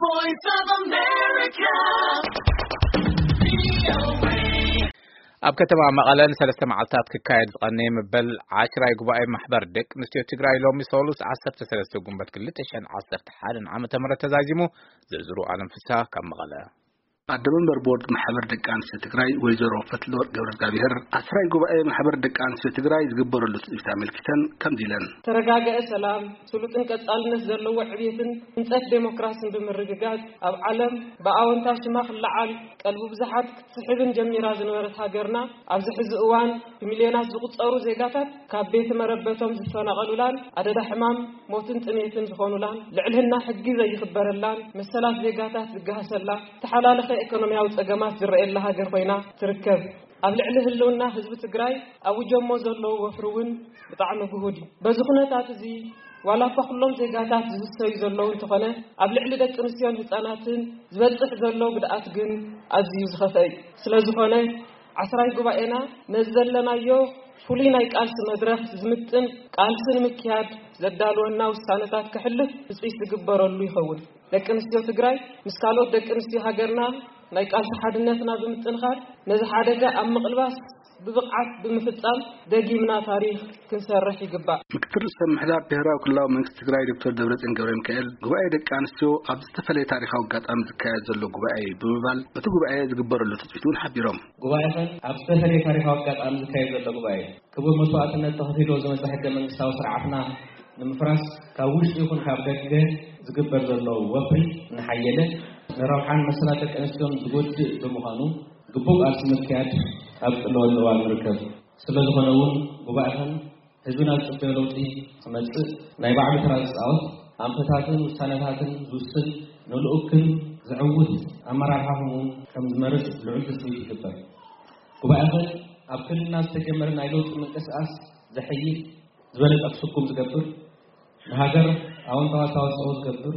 Voice of America. ኣብ ከተማ መቐለ ንሰለስተ መዓልታት ክካየድ ዝቐነየ መበል ዓሽራይ ጉባኤ ማሕበር ደቂ ኣንስትዮ ትግራይ ሎሚ ሰሉስ ዓሰርተ ሰለስተ ጉንበት ክልተ ሽሕን ዓሰርተ ሓደን ዓመተ ምህረት ተዛዚሙ። ዝርዝሩ ኣለም ፍስሃ ካብ መቐለ። ኣደ መንበር ቦርድ ማሕበር ደቂ ኣንስትዮ ትግራይ ወይዘሮ ፈትለወርቅ ገብረ እግዚኣብሔር ዓስራይ ጉባኤ ማሕበር ደቂ ኣንስትዮ ትግራይ ዝግበረሉ ትፅቢት ኣመልኪተን ከምዚ ኢለን። ተረጋገአ ሰላም፣ ስሉጥን ቀጻልነት ዘለዎ ዕብየትን ህንጸት ዴሞክራሲን ብምርግጋጽ፣ ኣብ ዓለም ብኣወንታ ሽማ ክለዓል ቀልቢ ብዙሓት ክትስሕብን ጀሚራ ዝነበረት ሃገርና፣ ኣብዚ ሕዚ እዋን ብሚልዮናት ዝቑጸሩ ዜጋታት ካብ ቤት መረበቶም ዝፈናቐሉላን ኣደዳ ሕማም፣ ሞትን ጥሜትን ዝኾኑላን፣ ልዕልህና ሕጊ ዘይኽበረላን፣ መሰላት ዜጋታት ዝገሃሰላ፣ ተሓላለኸ ኢኮኖሚያዊ ጸገማት ዝረኣየላ ሃገር ኮይና ትርከብ። ኣብ ልዕሊ ህልውና ህዝቢ ትግራይ ኣውጀሞ ዘለዉ ወፍሪ እውን ብጣዕሚ ግሁድ እዩ። በዚ ኩነታት እዚ ዋላ እኳ ኩሎም ዜጋታት ዝህሰዩ ዘለዉ እንተኾነ፣ ኣብ ልዕሊ ደቂ ኣንስትዮን ህፃናትን ዝበፅሕ ዘሎ ጉድኣት ግን ኣዝዩ ዝኸፍአ እዩ። ስለ ዝኾነ ዓስራይ ጉባኤና ነዚ ዘለናዮ ፍሉይ ናይ ቃልሲ መድረኽ ዝምጥን ቃልሲ ንምክያድ ዘዳልወና ውሳነታት ከሕልፍ ትፅቢት ዝግበረሉ ይኸውን። ደቂ ኣንስትዮ ትግራይ ምስ ካልኦት ደቂ ኣንስትዮ ሃገርና ናይ ቃልሲ ሓድነትና ብምጥንኻር ነዚ ሓደጋ ኣብ ምቕልባስ ብብቕዓት ብምፍጻም ደጊምና ታሪኽ ክንሰርሕ ይግባእ። ምክትል ርእሰ ምሕዳር ብሔራዊ ክልላዊ መንግስቲ ትግራይ ዶክተር ደብረጽዮን ገብረ ሚካኤል ጉባኤ ደቂ ኣንስትዮ ኣብ ዝተፈለየ ታሪኻዊ ኣጋጣሚ ዝካየድ ዘሎ ጉባኤ እዩ ብምባል በቲ ጉባኤ ዝግበረሉ ትፅቢት እውን ሓቢሮም። ጉባኤኸን ኣብ ዝተፈለየ ታሪኻዊ ኣጋጣሚ ዝካየድ ዘሎ ጉባኤ ክቡር መስዋእትነት ተኸፊልዎ ዝመፀ ሕገ መንግስታዊ ስርዓትና ንምፍራስ ካብ ውሽጢ ይኹን ካብ ደገ ዝግበር ዘሎ ወፍሪ እናሓየለ ንረብሓን መሰላት ደቂ ኣንስትዮን ዝጎድእ ብምዃኑ ግቡእ ቃልሲ ምክያድ ኣብ ዝጥለበሉ እዋን ንርከብ። ስለ ዝኾነ እውን ጉባኤኸን ህዝብና ዝፅበዮ ለውጢ ክመፅእ ናይ ባዕሉ ተራ ዝፃወት ኣንፈታትን ውሳነታትን ዝውስን ንልኡክን ዘዕውት ኣመራርሓ ከምኡ እውን ከም ዝመርፅ ልዑል ትፅቢት ይግበር። ጉባኤኸን ኣብ ክልልና ዝተጀመረ ናይ ለውጢ ምንቅስቃስ ዘሐይል ዝበለፀ ክስኩም ዝገብር ንሃገር ኣወንታዊ ኣስተዋፅኦ ዝገብር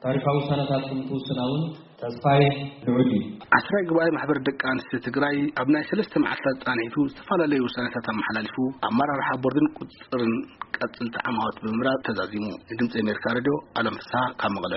ታሪካዊ ውሳነታት ከምትውስና እውን ተስፋይ ልዑል እዩ። ዓስራይ ጉባኤ ማሕበር ደቂ ኣንስትዮ ትግራይ ኣብ ናይ ሰለስተ መዓልታት ፃንሒቱ ዝተፈላለዩ ውሳነታት ኣመሓላሊፉ ኣመራርሓ ቦርድን ቁፅፅርን ቀፅልቲ ዓማዎት ብምምራፅ ተዛዚሙ። ንድምፂ ኣሜሪካ ሬድዮ ኣለም ፍስሃ ካብ መቐለ።